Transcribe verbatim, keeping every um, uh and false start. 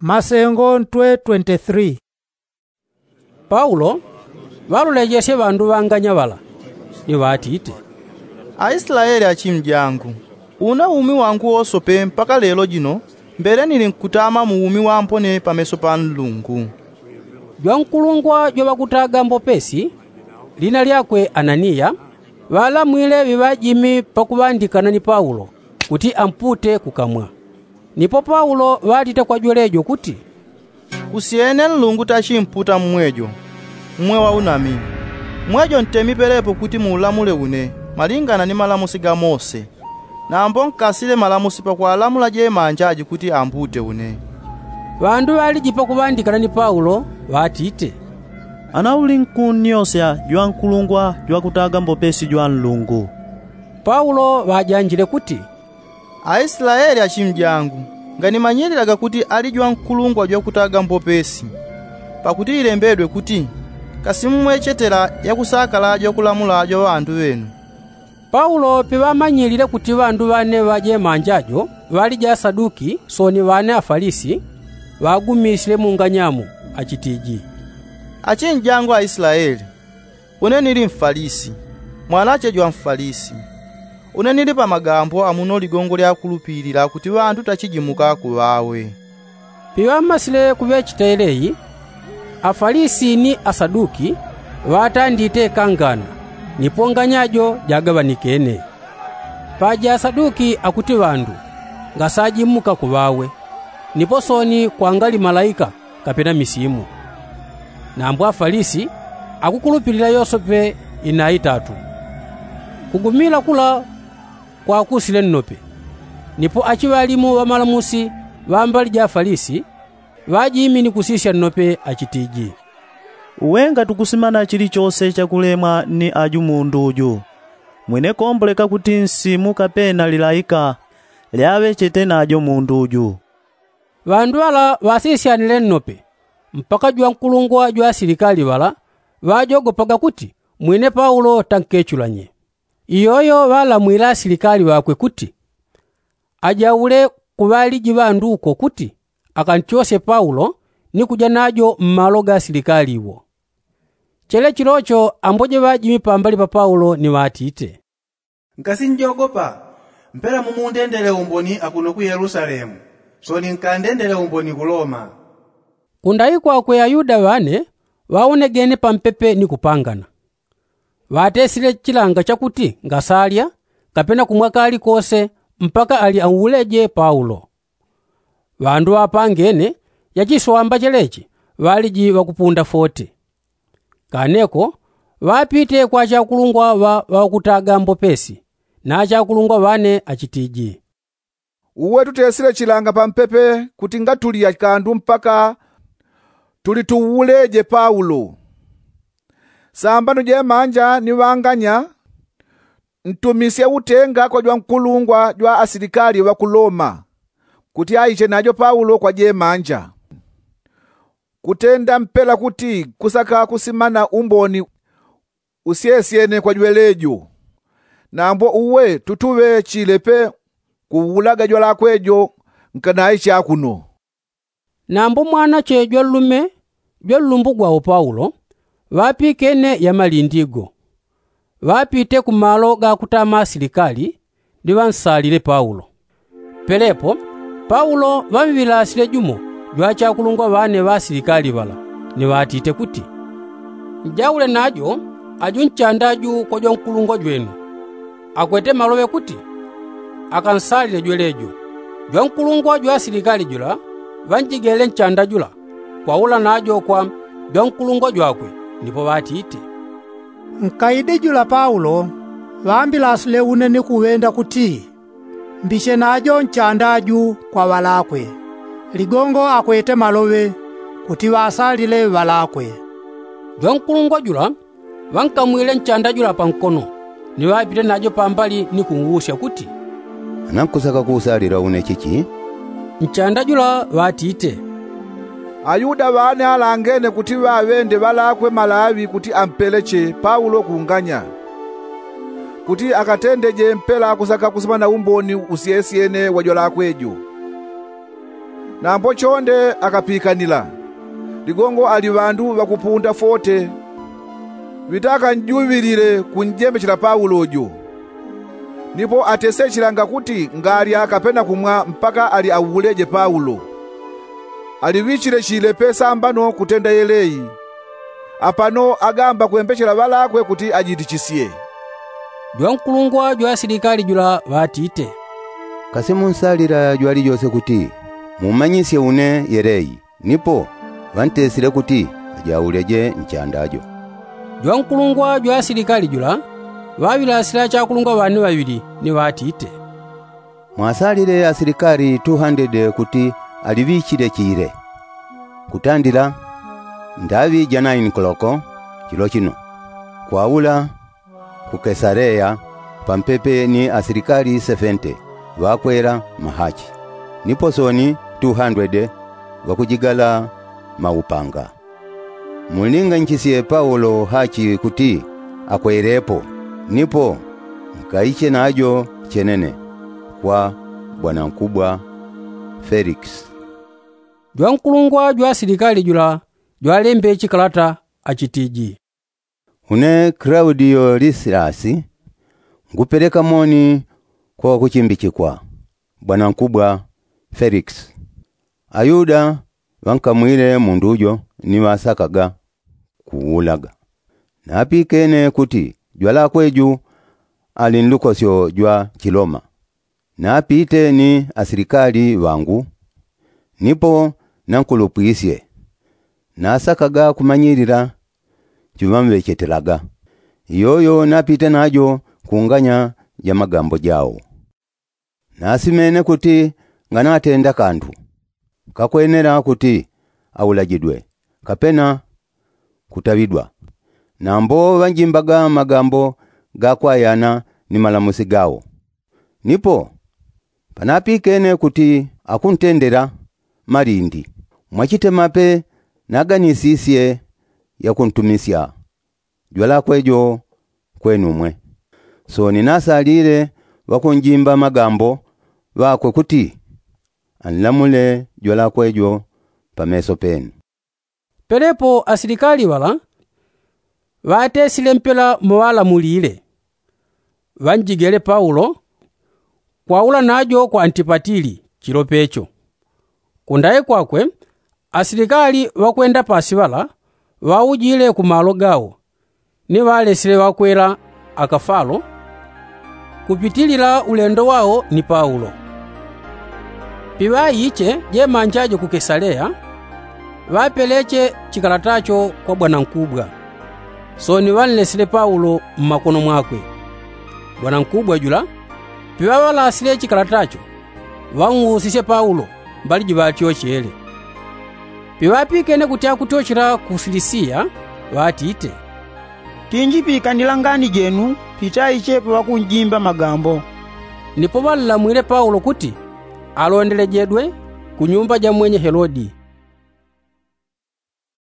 Masengo ntwe twenty-three. Paulo ŵalolejesye ŵandu ŵanganya ŵala, ni ŵatite, aislaeli achimjangu, una umi wangu wosope mpaka lelo jino mbele nili nkutama mu umi wampone pameso pa nlungu. Jwankulungwa jwaŵakutaga mbopesi, lina lyakwe ananiya, ŵalamwile ŵiŵajimi pakuŵandikana ni paulo, kuti ampute kukamwa. Nipo paulo ŵatite kwa jwelejo kuti, kusyene nlungu tachimputa mmwejo, mmwe waunami. Mmwejo ntemi pelepo kuti muulamule une malingana ni malamusi ga mose. Nambo nkasile malamusi pakwalamula jemanja aji kuti ampute une. Ŵandu ŵaliji pakuŵandikana ni paulo, ŵatite, ana uli nkunnyosya jwankulungwa jwakutaga mbopesi jwa nlungu. Paulo ŵajanjile kuti, aislaeli achimjangu, nganimanyililaga kuti ali jwankulungwa jwakutaga mbopesi. Pakuti ilembedwe kuti, kasimmwechetela yakusakala jwakulamula jwa ŵandu ŵenu. Paulo piŵamanyilile kuti ŵandu ŵane ŵa jemanja jo ŵaliji asaduki soni ŵane afalisi, ŵagumisile munganyamo, achitiji, achinjangu aislaeli, une nili mfalisi, mwanache jwa mfalisi. Une nili pa magambo amuno ligongo lyakulupilila kuti ŵandu tachijimuka kuŵawe. Piŵamasile kuŵechita eleyi, afalisi ni asaduki ŵatandite kangana, nipo nganya jo jagaŵanikene. Paja asaduki akuti ŵandu ngasajimuka kuŵawe, nipo soni kwangali malaika kapena misimu. Nambo afalisi akukulupilila yosepe inaitatu. Kugumila kula kwakusile nnope. Nipo achiŵalimu ŵamalamusi ŵa mbali ja afalisi ŵajimi ni kusisya nnope achitiji, uwe ngatukusimana chilichose chakulemwa ni aju mundu uju, mwine komboleka kuti nsimu kapena lilaika lyaŵechete najo mundu uju. Ŵandu ŵala ŵasisyanile nnope mpaka jwankulungwa jwa asilikali ŵala ŵajogopaga kuti mwine paulo tankechulanye. Iyoyo ŵalamwile asilikali ŵakwe kuti, ajaule kuŵaliji ŵandu uko kuti akantyosye paulo ni kuja najo mmalo ga asilikali wo. Chelechilocho amboje ŵajimi pambali pa paulo ni ŵatite, nkasinjogopa mpela mumundendele umboni akuno ku yelusalemu, soni nkandendele umboni ku loma. Kundai kwakwe ayuda ŵane ŵaonegene pampepe ni kupangana. Ŵatesile chilanga chakuti ngasalya kapena kumwa kali kose mpaka ali auleje paulo. Ŵandu ŵapangene yachiswamba chelechi ŵaliji ŵakupunda fote. Kaneko ŵapite kwa achakulungwa ŵa ŵakutaga mbopesi na achakulungwa ŵane achitiji, uwe tutesile chilanga pampepe kuti ngatulya kandu mpaka tulituwuleje paulo. Sambano jemanja ni ŵanganya ntumisye utenga kwa jwankulungwa jwa asilikali ŵa ku loma kuti aiche najo paulo kwa jemanja. Kutenda mpela kuti kusaka kusimana umboni usyesyene kwa jwelejo. Nambo uwe tutuŵechile pe kuwulaga jwalakwe jo nkanaiche akuno. Nambo mwanache jwanlume jwanlumbu gwawo paulo ŵapikene yamalindi go. Ŵapite kumalo gakutama asilikali ni ŵansalile paulo. Pelepo paulo ŵamŵilasile jumo jwa achakulungwa ŵane ŵa asilikali ŵala ni ŵatite kuti, njaule najo aju nchanda aju kwa jwankulungwa jwenu. Akwete maloŵe kuti akansalile jwelejo. Jwankulungwa jwa asilikali jula ŵanjigele nchanda jula kwaula najo kwa jwankulungwa jwakwe. Nipo ŵatite, nkaide jula paulo ŵambilasile une ni kuŵenda kuti mbiche najo nchanda aju kwa ŵalakwe. Ligongo akwete maloŵe kuti ŵasalile ŵalakwe. Jwankulungwa jula ŵankamwile nchanda jula pankono ni ŵapite najo pambali ni kung'usya kuti, nankusaka kuusalila une chichi? Nchanda jula ŵatite, ayuda ŵane alangene kuti ŵaŵende ŵalakwe malaŵi kuti ampeleche paulo kunganya kuti akatendeje mpela kusaka kusimana umboni usyesyene wa jwalakwe jo. Nambo chonde akapikanila, ligongo ali ŵandu ŵakupunda fote ŵitakanjuŵilile kunjembechela paulo jo. Nipo atesechilanga kuti ngalya kapena kumwa mpaka ali auleje paulo. Aliŵichile chile pesambano kutenda yeleyi. Apano agamba kwembechela ŵalakwe kuti ajitichisye. Jwankulungwa jwa asilikali jula ŵatite, kasi munsalila jwalijose kuti mumanyisye une yeleyi? Nipo ŵantesile kuti ajauleje nchanda jo. Jwankulungwa jwa asilikali jula ŵaŵilasila chakulungwa ŵane ŵaŵili ni ŵatite, mwasalile asilikali tuhandede kuti aliŵichile chile kutandila ndaŵi ja naini koloko chilo chino, kwaula ku kesaleya pampepe ni asilikali sefente ŵakwela mahachi, nipo soni tuhandwede ŵakujigala maupanga. Munlinganyichisye paulo hachi kuti akwelepo, nipo nkaiche najo chenene kwa bwanankubwa felikisi. Jwankulungwa jwa asilikali jula jwalembe chikalata achitiji, une klaudiyo lisilasi, ngupeleka moni kwa ŵakuchimbichikwa bwanankubwa felikisi. Ayuda ŵankamwile mundu jo ni ŵasakaga kuulaga. Napikene kuti jwalakwe ju ali nlukosyo jwa chiloma. Napite ni asilikali ŵangu nipo nankulupwisye. Nasakaga kumanyilila chiŵamŵechetelaga. Iyoyo napite najo kunganya ja magambo jao. Nasimene kuti nganatenda kandu kakwenela kuti aulajidwe kapena kutaŵidwa. Nambo ŵanjimbaga magambo gakwayana ni malamusi gao. Nipo panapikene kuti akuntendela malindi mwachitemape naganisisye yakuntumisya jwalakwe jo kwenumwe. Soni nasalile ŵakunjimba magambo ŵakwe kuti anlamule jwalakwe jo pameso penu. Pelepo asilikali ŵala ŵatesile mpela moŵalamulile. Ŵanjigele paulo kwaula najo kwa antipatili chilo pecho. Kundaye kwakwe asilikali ŵakwenda pasi ŵala ŵaujile kumalo gao ni ŵalesile ŵakwela akafalo kupitilila ulendo wao ni paulo. Piŵaiche jemanja jo ku kesaleya ŵapeleche chikalatacho kwa bwanankubwa. Soni ŵanlesile paulo mmakono mwakwe. Bwanankubwa jula piŵaŵalasile chikalatacho ŵang'usisye paulo mbali jiŵatyochele. Piŵapikene kuti akutyochela ku silisiya ŵatite, tinjipikanila ngani jenu pitaichepo ŵakunjimba magambo. Nipo ŵanlamwile paulo kuti alondelejegwe ku nyumba ja mwenye helodi.